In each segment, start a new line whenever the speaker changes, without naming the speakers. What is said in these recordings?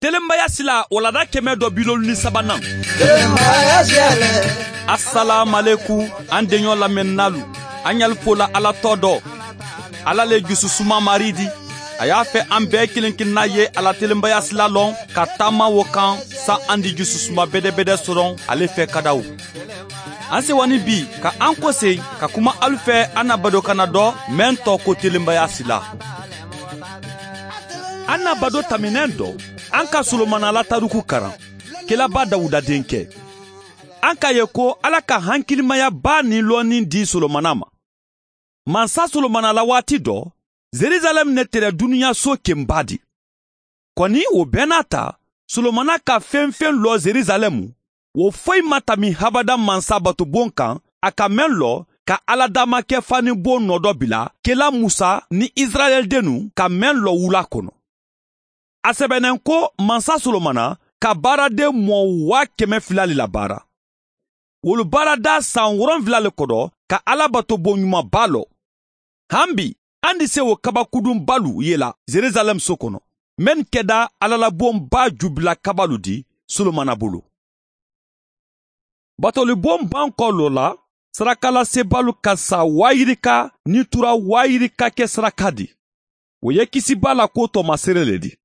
Telenbaya sila walada 173nan. Asalaamaleku an denɲɔ lamɛnnalu, an y'alu fola Ala tɔ dɔ. Ala le jususuma mari di. A y'a fɛ an bɛɛ kelen kelenna ye ala telenbaya sila lɔn ka taama wo kan sa an di jususuma bɛdɛbɛdɛ sɔrɔ ale fɛ kadaw. An sewani bi ka an kɔse ka kuma alu fɛ an na badokana dɔ mɛn tɔ ko telenbaya sila. An na bado taminɛn dɔ an ka Solomana la taruku karan kelaba Dawuda denkɛ. An k'a ye ko Ala ka hankilimaya ba ni lɔnni di Solomana ma. Mansa Solomana la waati dɔ, Zerizalɛm ne tɛrɛ duniya so kenba di. Kɔni o bɛɛ n'a ta, Solomana ka fɛn fɛn lɔ Zerizalɛmu, o foyi ma tami habada mansa batobon kan, a ka mɛn lɔ ka Ala damakɛ fanibon nɔ dɔ bila kela Musa ni Israɛl dennu ka mɛn lɔ wula kɔnɔ. A sɛbɛnnen ko mansa Solomana ka baaraden mɔɔ 200,000 le la baara. Wolu baarada san 7 le kɔrɔ ka Ala batobon ɲumanba lɔ. Han bi, an di se o kabakudun balu ye la Zerizalɛm so kɔnɔ, mɛn kɛda alalabonba jubila kabalu di Solomana bolo. Batolibon ban kɔ lɔ la, sarakalasebalu ka sa 20,000 ni tura 20,000 kɛ saraka di. O ye kisiba la ko tɔmasere le di.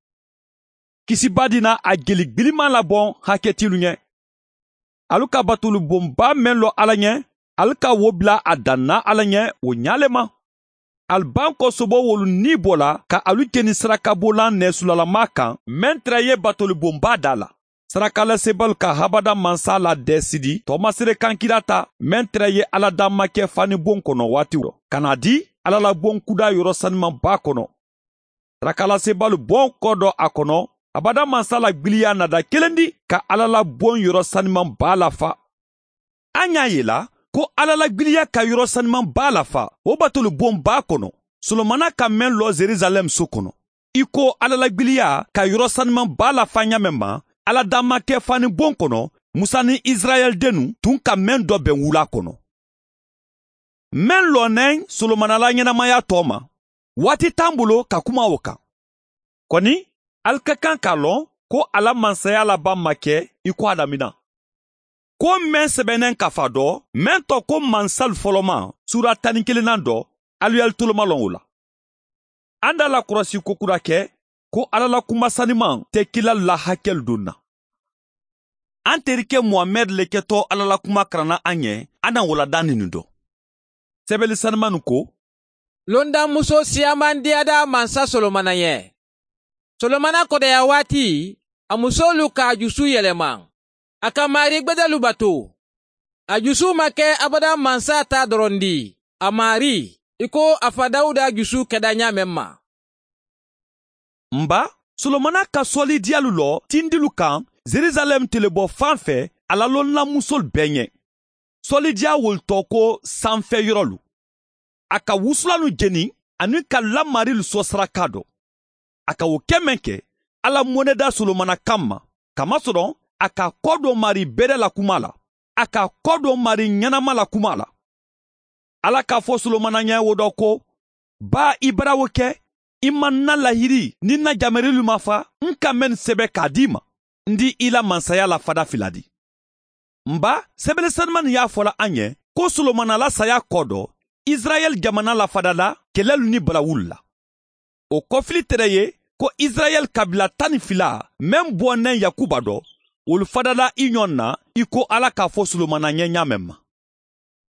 Kisiba di na a jeli gbiliman labɔn hakɛtilu ɲɛ. Alu ka batolibonba mɛn lɔ Ala ɲɛ, alu ka wo bila a danna Ala ɲɛ o ɲa le ma. Aliban kɔsobɔ wolu ni bɔla ka alu jeni sarakabolan nɛsulalama kan mɛn tɛrɛ ye batolibonba da la. Sarakalasebalu ka habada mansa la dɛsidi tɔmasere kankira ta mɛn tɛrɛ ye Ala damakɛ fanibon kɔnɔ waati rɔ ka na di Ala la bon kuda yɔrɔ sanumanba kɔnɔ. Sarakalasebalu bɔn kɔ dɔ a kɔnɔ abada mansa la gbiliya nada kelen di ka Ala la bon yɔrɔ sanumanba lafa. An y'a ye la ko Ala la gbiliya ka yɔrɔ sanumanba lafa o batolibonba kɔnɔ. Solomana ka mɛn lɔ Zerizalɛm so kɔnɔ. I ko Ala la gbiliya ka yɔrɔ sanumanba lafa ɲa mɛn ma, Ala damakɛ fanibon kɔnɔ, Musa ni Israɛl dennu tun ka mɛn dɔ bɛn wula kɔnɔ. Mɛn lɔnɛn Solomana la ɲɛnamaya tɔ ma, waati t'an bolo ka kuma o kan. Kɔni, ali ka kan k'a lɔn ko ala mansaya laban ma kɛ i ko a damina. Ko mɛn sɛbɛnnen kafa dɔ, mɛn tɔ ko mansal fɔlɔma, sura 11nan dɔ, alu y'ali toloma lɔn o la. An da la kɔlɔsi ko kura kɛ, ko Ala la kuma saniman tɛ kila la hakɛlu don na. An terikɛ Muhamɛd le kɛtɔ Ala la kuma karanna an ɲɛ, an na walada nin dɔ. Sɛbɛnni saniman nin ko,
Londamuso siyaman diyada mansa Solomana ɲɛ. Solomana kɔdɛya waati, a musolu k'a jusu yɛlɛma. A ka mari gbɛdɛlu bato. A jusu ma kɛ abada mansa ta dɔrɔn di. A mari, i ko a fa Dawuda jusu kɛda ɲa mɛn ma.
Nba, Solomana ka sɔli diyalu lɔ tindilu kan Zerizalɛm telebɔ fan fɛ a la lɔnnamusolu bɛɛ ɲɛ. Sɔli diya wolu tɔ ko sanfɛ yɔrɔlu. A ka wusulanu jeni ani ka lamarilu sɔ saraka dɔ. A ka o kɛ mɛn kɛ, Ala mɔnɛda Solomana kan ma, kamasɔrɔ a ka kɔ dɔ mari bɛrɛ la kuma la, a ka kɔ dɔ mari ɲɛnama la kuma la. Ala k'a fɔ Solomana ɲɛ o dɔ ko, ba i bara o kɛ, i ma na lahiri ni na jamerilu ma fa, n ka mɛn sɛbɛ k'a d'i ma, n di i la mansaya la fada fila di. Nba, sɛbɛnni sanuman nin y'a fɔla an ɲɛ ko Solomana la saya kɔ dɔ, Israɛl jamana la fada la kɛlɛlu ni balawulu la. O kɔfili tɛrɛ ye ko Israɛl kabila 12 mɛn bɔnɛ Yakuba dɔ, olu fadala i ɲɔgɔn na i ko Ala k'a fɔ Solomana ɲɛ ɲa mɛn ma.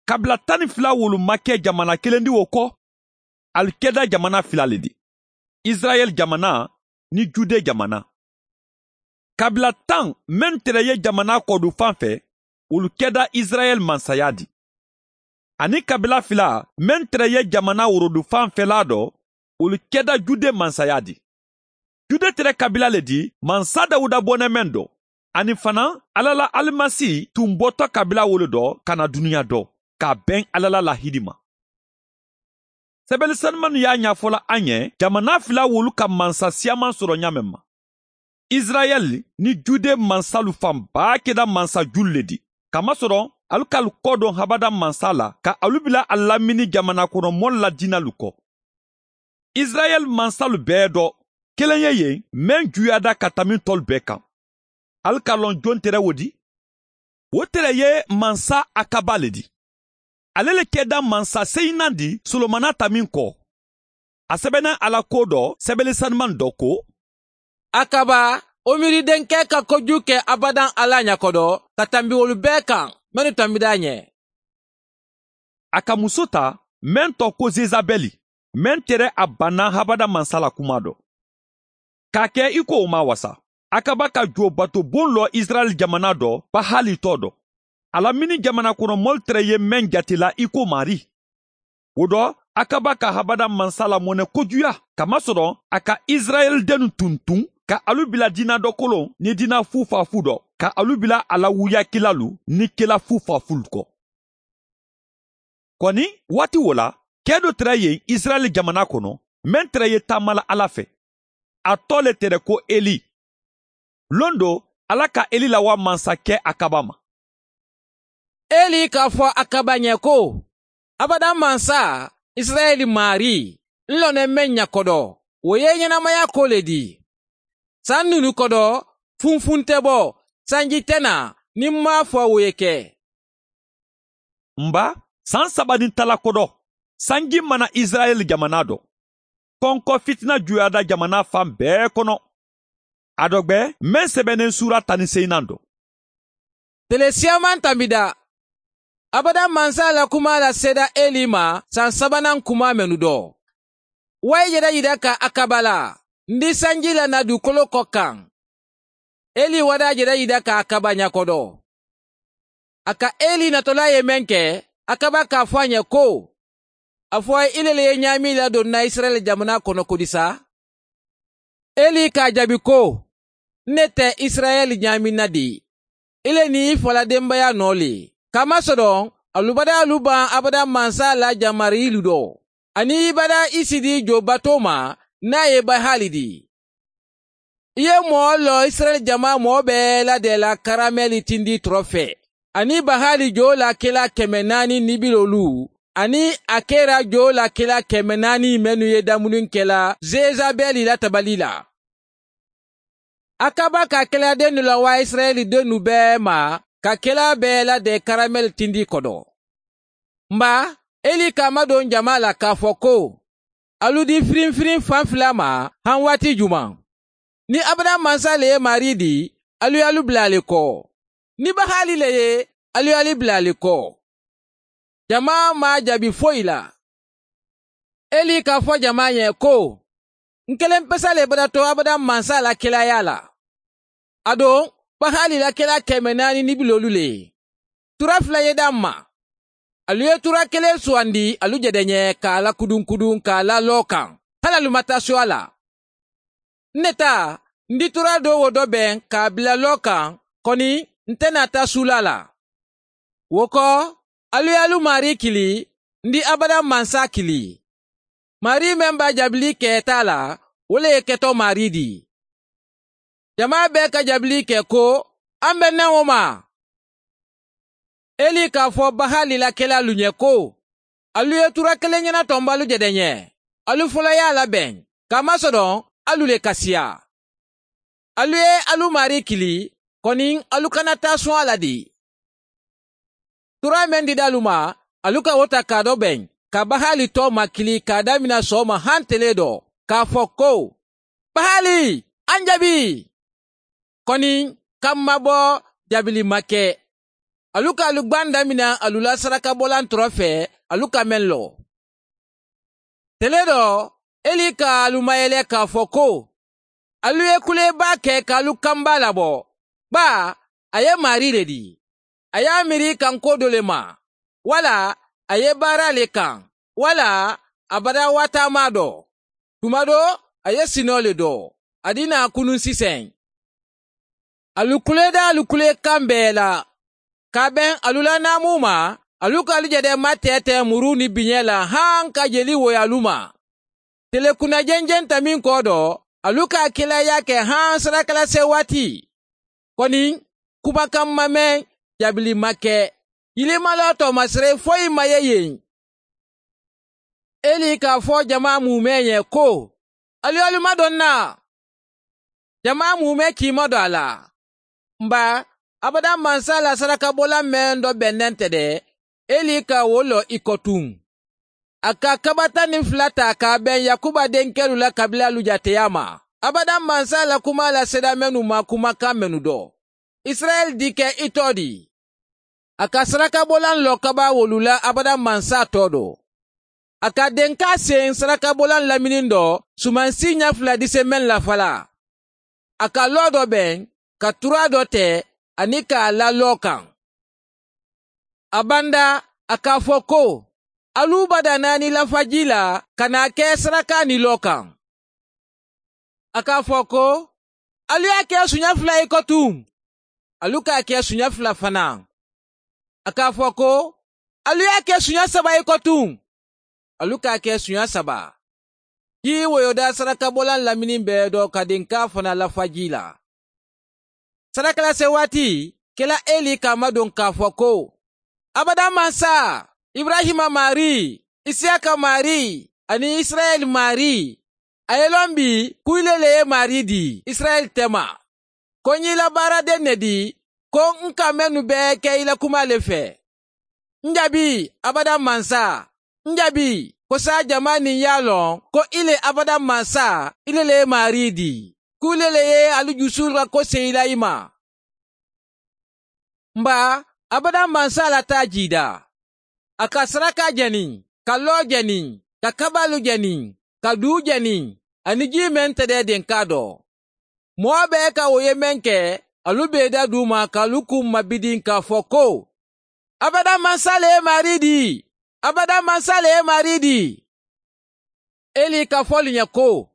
Kabila 12 wolu ma kɛ jamana kelen di o kɔ, alu kɛda jamana fila le di. Israɛl jamana ni Jude jamana. Kabila 10 mɛn tɛrɛ ye jamana kɔdu fan fɛ, olu kɛda Israɛl mansaya di. Ani kabila 2 mɛn tɛrɛ ye jamana worodu fan fɛla dɔ, olu kɛda Jude mansaya di. Jude tɛrɛ kabila le di mansa Dawuda bɔnɛ mɛn dɔ. Ani fana Ala la Alimasi tun bɔtɔ kabila wolo dɔ ka na dunuya dɔ, k'a bɛn Ala la lahidi ma. Sɛbɛnni sanuman y'a ɲɛfɔla an ɲɛ jamana fila wolu ka mansa siyaman sɔrɔ ɲa mɛn ma. Israɛl ni Jude mansalu fanba kɛda mansa julu le di. Kamasɔrɔ alu k'alu kɔ dɔn habada mansa la ka alu bila a lamini jamana kɔnɔ mɔlu la dinalu kɔ. Israɛl mansalu bɛɛ dɔ, Kelen ye yen mɛn juyada ka tami tɔlu bɛɛ kan. Alu k'a lɔn jon tɛrɛ wo di? O tɛrɛ ye mansa Akaba le di. Ale le kɛda mansa seyinan di Solomana ta min kɔ. A sɛbɛnna Ala ko dɔ sɛbɛnni sanuman dɔ ko:
Akaba, Omiri denkɛ ka kojugu kɛ abadan Ala ɲakɔdɔ ka tanbi olu bɛɛ kan minnu tanbida ɲɛ.
A ka muso ta mɛn tɔ ko Zezabɛli, mɛn tɛrɛ a banna habada mansa la kuma dɔ. K'a kɛ i ko o ma wasa. Akaba ka jo bato bon lɔ Israɛl jamana dɔ Bahali tɔ dɔ. A la mini jamana kɔnɔ mɔli tɛrɛ ye mɛn jatela i ko mari. O dɔ Akaba ka habada mansa la mɔnɛ kojuya kamasɔrɔ a ka Israɛl dennu tuntun ka alu bila dina dɔ kolon ni dina fufafu dɔ ka alu bila a la wuyakilalu ni kela fufafu kɔ. Kɔni waati wo la kɛ dɔ tɛrɛ yen Israɛl jamana kɔnɔ mɛn tɛrɛ ye taamala Ala fɛ. A tɔ le tɛrɛ ko Eli. Lon do Ala ka Eli lawa mansakɛ Akaba ma.
Eli k'a fɔ Akaba ɲɛ ko abada mansa Israɛl mari n lɔnɛ mɛn ɲakɔdɔ o ye ɲɛnamaya ko le di. San nunu kɔdɔ funfun tɛ bɔ sanji tɛ na ni n m'a fɔ o ye kɛ.
Nba san saba ni tala kɔdɔ sanji mana Israɛl jamana dɔ. Kɔnkɔ fitina juyada jamana fan bɛɛ kɔnɔ. A dɔ gbɛ mɛn sɛbɛnnen sura 18 dɔ.
Tele siyaman tanbida. Abada mansa la kuma la seda Eli ma san sabanan kuma mɛnu dɔ. Wayi yɛrɛ yira ka Akaba la ndi sanji la na dugukolo kɔ kan. Eli wada yɛrɛ yira ka Akaba ɲakɔdɔ. A ka Eli natɔla ye mɛn kɛ Akaba k'a fɔ a ɲɛ ko a fɔ ile le ye ɲaami ladon na Israɛl jamana kɔnɔ kodisa. Eli k'a jaabi ko ne tɛ Israɛl ɲaami na de. Ile ni i fala denbaya nɔ le. Kamasɔrɔ alubada aluban abada mansa la jamarilu dɔ. Ani ibada isidi jo bato ma n'a ye bahali di. I ye mɔɔ lɔ Israɛl jama mɔɔ bɛɛ la de la karamɛli tindi tɔrɔ fɛ. Ani bahali jo la kela 450 ani a kɛra jo la kela 400 mɛnu ye damuni kɛla Zezabɛli la tabali la. Akaba ka kɛlɛden la wa Israɛli dennu bɛɛ ma ka kɛla bɛɛ la de karamɛli tindi kɔdɔ. Nba Eli k'a madon jama la k'a fɔ ko alu di firinfirin fan fila ma han waati juman. Ni abada mansa le ye mari di alu y'alu bila ale kɔ. Ni bahali le ye alu y'alu bila ale kɔ. Jama ma jaabi foyi la. Eli k'a fɔ jama ɲɛ ko n kelen pesa le bada to abada mansa la kelaya la. A don bahali la kela 450 le ye. Tura fila ye d'an ma. Alu ye tura kelen sugandi alu jɛdɛ ɲɛ k'a la kudunkudun k'a la lɔ kan. Hali alu ma taa so a la. Ne ta n di tura dɔ wo dɔ bɛn k'a bila lɔ kan kɔni n tɛna taa sula la. Wo kɔ alu y'alu mari kili n di abada mansa kili. Mari mɛn b'a jabili kɛ t'a la o le ye kɛtɔ mari di. Jama bɛɛ ka jabili kɛ ko an bɛ nɛ o ma. Eli k'a fɔ bahali la kɛla alu ɲɛ ko alu ye tura kelen ɲɛna tɔnba alu jɛdɛ ɲɛ. Alu fɔlɔ y'a labɛn kamasɔrɔ alu le kasiya. Alu ye alu mari kili kɔni alu kana taa sɔn a la de. Tura mɛn dida alu ma alu ka o ta k'a dɔ bɛn ka bahali tɔ ma kili k'a damina sɔgɔma han tele dɔ k'a fɔ ko bahali an jaabi. Kɔni kan ma bɔ jaabili ma kɛ. Alu ka alu gban damina alu la sarakabɔlan tɔrɔ fɛ alu ka mɛn lɔ. Tele dɔ Eli ka alu mayɛlɛ k'a fɔ ko alu ye kuleba kɛ k'alu kanba labɔ. Ba a ye mari le di. A y'a miiri kan ko dɔ le ma wala a ye baara le kan wala a bada waatama dɔ. Tuma dɔ a ye sinɔ le dɔ. A dina kunun sisan. Alu kuleda alu kule kan bɛɛ la. Ka bɛn alu la naamu ma alu ka alu jɛdɛ ma tɛɛtɛ muru ni biɲɛ la han ka jeli woyo alu ma. Tele kunna jɛnjɛn ta min kɔ dɔ alu ka kelaya kɛ han sarakalase waati. Kɔni kumakan ma mɛn jaabili ma kɛ. Yilimala tɔmasere foyi ma ye yen. Eli k'a fɔ jama mumɛ ɲɛ ko alu alu ma dɔn na. Jama mumɛ k'i madon a la. Nba abada mansa la sarakabɔlan mɛn dɔ bɛnnen tɛ dɛ, Eli ka wo lɔ i kɔ tun. A ka kaba 12 ta k'a bɛn Yakuba denkɛlu la kabilalu jateya ma. Abada mansa la kuma lasera mɛnu ma kumakan mɛnu dɔ. Israɛl dikɛ i tɔ di. A ka sarakabɔlan lɔ kaba wolu la abada mansa tɔ dɔ. A ka denka sen sarakabɔlan lamini dɔ sumansi ɲɛ fila dise mɛn lafala. A ka lɔ dɔ bɛn ka tura dɔ tɛ ani k'a la lɔ kan. A banda a k'a fɔ ko alu bada naani lafaji la ka n'a kɛ saraka ni lɔ kan. A k'a fɔ ko alu y'a kɛ suɲɛ fila ye kɔ tun. Alu k'a kɛ suɲɛ fila fana. A k'a fɔ ko alu y'a kɛ suɲɛ saba ye kɔ tun. Alu k'a kɛ suɲɛ saba. Ji woyoda sarakabɔlan lamini bɛɛ dɔ ka denka fana lafaji la. Sarakalase waati kɛla Eli k'a madon k'a fɔ ko abada mansa Ibrahima mari, Isiyaka mari ani Israɛl mari. A ye lɔn bi ko ile le ye mari di Israɛl tɛma. Ko n y'i la baaraden ne di ko n ka mɛnnu bɛɛ kɛ i la kuma le fɛ. N jaabi abada mansa, n jaabi ko sa jama nin y'a lɔn ko ile abada mansa ile le ye mari di. K'ule le ye alu jusu la ko sen i la i ma. Nba abada mansa la taa jida. A ka saraka jɛni, ka lɔ jɛni, ka kabalu jɛni, ka du jɛni, ani ji mɛn tɛ dɛ denka dɔ. Mɔɔ bɛɛ ka o ye mɛn kɛ, alu bɛ da du ma k'alu kun mabidin k'a fɔ ko abada mansa le ye mari di, abada mansa le ye mari di. Eli ka fɔli ɲɛ ko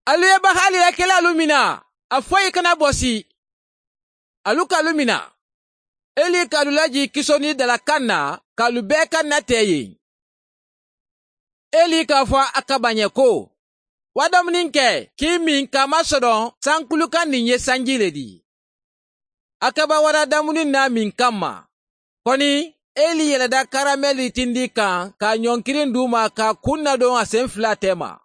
alu ye bahali la kɛlɛ alu mina, a foyi kana bɔsi. Alu k'alu mina. Eli k'alu laji kisoni dalakan na k'alu bɛɛ ka na tɛ yen. Eli k'a fɔ Akaba ɲɛ ko wa dumuni kɛ k'i min k'a masɔrɔ sankulukan nin ye sanji le di. Akaba wara dumuni n'a min kama. Kɔni Eli yɛlɛda karamɛli tindi kan k'a ɲɔnkirin d'u ma k'a kun nadon a sen fila tɛ ma.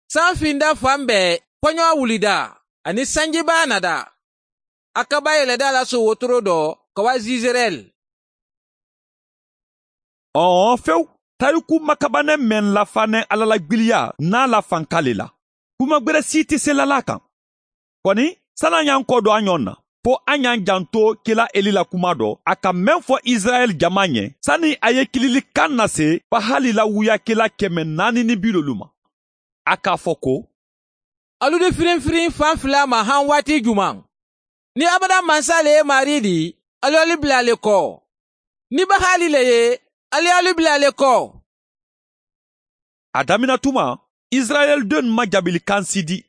San finda fan bɛɛ kɔɲɔ wulida ani sanjiba nada. Akaba yɛlɛda la so wotoro dɔ ka wa Zizerɛl.
Ɔɔ fewu tariku makabanɛ mɛn lafanɛ ala la gbiliya n'a la fanka le la. Kuma gwɛrɛ si tɛ se lala kan. Kɔni san'an y'an kɔ don an ɲɔgɔn na fo an y'an janto kela Eli la kuma dɔ a ka mɛn fɔ Israɛl jama ɲɛ sani a ye kililikan nase Bahali la wuyakela 450 ma. A k'a fɔ ko
alu di firinfirin fan fila ma han waati juman. Ni abada mansa le ye mari di, alu alu bila ale kɔ. Ni Bahali le ye, alu alu bila ale kɔ.
A damina tuma, Israɛl den ma jabilikan si di.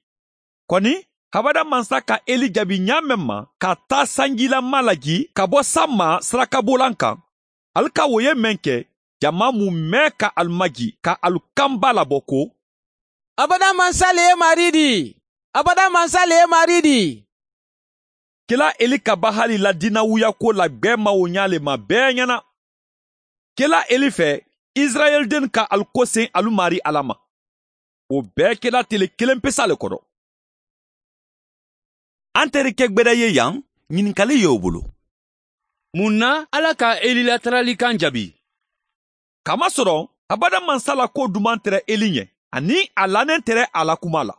Kɔni, habada mansa ka Eli jaabi ɲa mɛn ma ka taa sanjilama laji ka bɔ san ma sarakabolan kan. Alu ka wo ye mɛn kɛ, jama mun mɛn ka alu maji ka alu kanba labɔ ko
abada mansa le ye mari di, abada mansa le ye mari di.
Kela Eli ka Bahali la dinawuya ko la gbɛ ma o ɲa le ma bɛɛ ɲɛna. Kela Eli fɛ, Israɛl den ka alu ko sen alu mari Ala ma. O bɛɛ kɛla tele kelen pesa le kɔrɔ.
An terikɛ gbɛdɛ ye yan, ɲininkali y'o bolo.
Mun na Ala ka Eli lataralikan jaabi?
Kamasɔrɔ abada mansa la ko duman tɛrɛ Eli ɲɛ, ani a lanen tɛrɛ a la kuma la.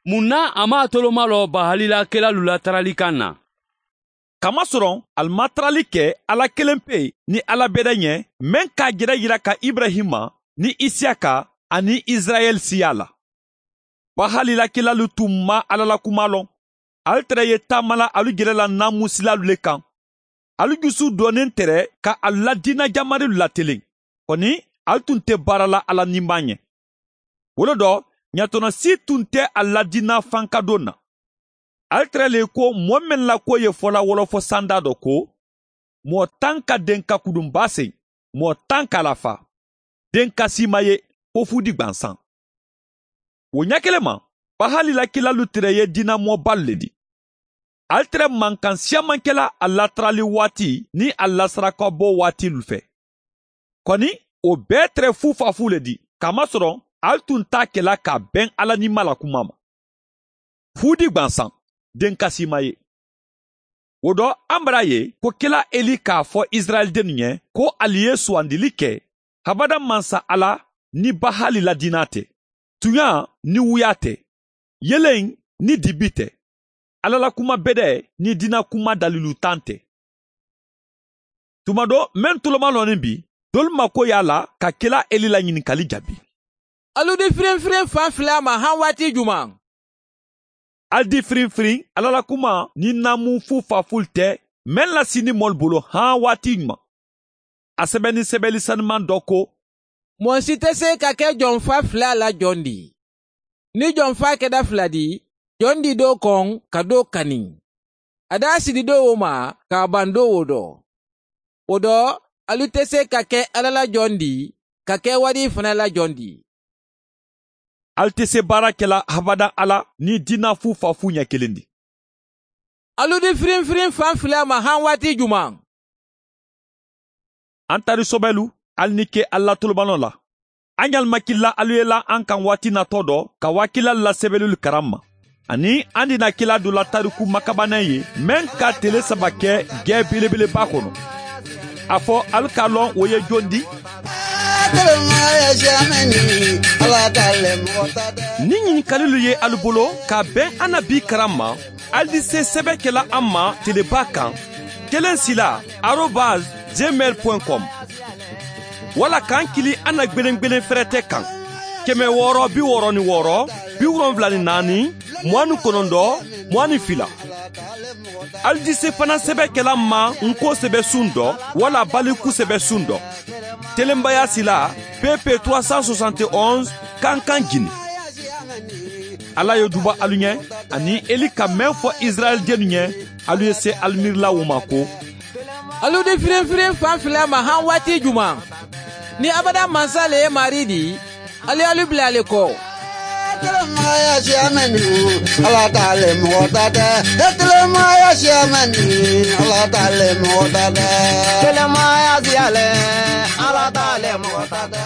Mun na a m'a toloma lɔ Bahali la kelalu lataralikan na?
Kamasɔrɔ ali ma tarali kɛ Ala kelen pe ni Ala bɛrɛ ɲɛ mɛn k'a jɛrɛ yira ka Ibrahima ni Isiyaka ani Israɛl siya la. Bahali la kelalu tun ma Ala la kuma lɔn. Alu tɛrɛ ye taama la alu jɛrɛ la namusilalu le kan. Alu jusu dɔnnen tɛrɛ ka alu la diina jamarilu latelen. Kɔni alu tun tɛ baara la Ala ninba ɲɛ. Wolo dɔ ɲatɔnɔ si tun tɛ a la diina fankadon na. Alu tɛrɛ le ko mɔɔ mɛn la ko ye fɔla wɔlɔfɔ sanda dɔ ko mɔɔ tan ka den ka kudunba sen, mɔɔ tan ka lafa. Den ka si ma ye ko fudi gwansan. O ɲɛ kelen ma, Bahali la kilalu tɛrɛ ye diinamɔba le di. Alu tɛrɛ mankan siyaman kɛla a latarali waati ni a lasarakabɔ waati lu fɛ. Kɔni o bɛɛ tɛrɛ fufafu le di, kamasɔrɔ alu tun t'a kɛla ka bɛn Ala ni ma la kuma ma. Fudi gbansan, den kasi ma ye. O dɔ an bara ye ko kela Eli k'a fɔ Israɛl dennu ɲɛ ko ali ye sugandili kɛ habada mansa Ala ni Bahali la diina tɛ, tunya ni wuya tɛ, yelen ni dibi tɛ, Ala la kuma bɛdɛ ni diina kuma dalilu tan tɛ. Tuma dɔ mɛn toloma lɔnin bi, dolu mako y'a la ka kela Eli la ɲininkali jaabi.
Alu di firinfirin fan fila ma han waati juman?
Al di firinfirin Ala la kuma ni namu fu faful tɛ mɛn la sini mɔli bolo han waati ɲuman. A sɛbɛnni sɛbɛnni sanuman dɔ ko:
Mɔɔ si tɛ se ka kɛ jɔnfa fila la jɔn di. Ni jɔnfa kɛda fila di, jɔn di do kɔn ka do kani. A d'a sidi do o ma k'a ban do o dɔ. O dɔ, alu tɛ se ka kɛ Ala la jɔn di, ka kɛ wari fana la jɔn di.
Al tɛ se baara kɛla habada Ala ni diina fu fafu ɲɛ kelen di.
Alu di firinfirin fan fila ma han waati juman?
An tari sɔbɛlu, al ni ke Ala tolobanɔ la. An yalimakila alu ye la an kan waati natɔ dɔ ka wakila la sɛbɛnlu karan ma. Ani an dina kila dɔ la tariku makabanɛ ye mɛn ka tele saba kɛ gɛ belebeleba kɔnɔ. A fɔ alu k'a lɔn o ye jɔn di? Ni ɲininkalilu ye alu bolo ka bɛn an na bi karan ma, alu di se sɛbɛn kɛla an ma teleba kan 1sila@gmail.com wala k'an kili an na gbelengbelen fɛrɛtɛ kan 666 74 29 22. Alu di se fana sɛbɛn kɛla ma nko sɛbɛ sun dɔ wala baliku sɛbɛ sun dɔ. Telenbaya sila PP 371 Kankan Gine. Ala ye duba alu ɲɛ ani Eli ka mɛn fɔ Israɛl dennu ɲɛ, alu ye se alu miirila wo ma ko:
Alu di firinfirin fan fila ma han waati juman? Ni abada mansa le ye mari di, alu alu bila ale kɔ.
Ala t'ale mɔgɔ ta tɛ, telemaya siyamani, Ala t'ale mɔgɔ ta tɛ. Telemaya siyalɛ, Ala t'ale mɔgɔ ta tɛ.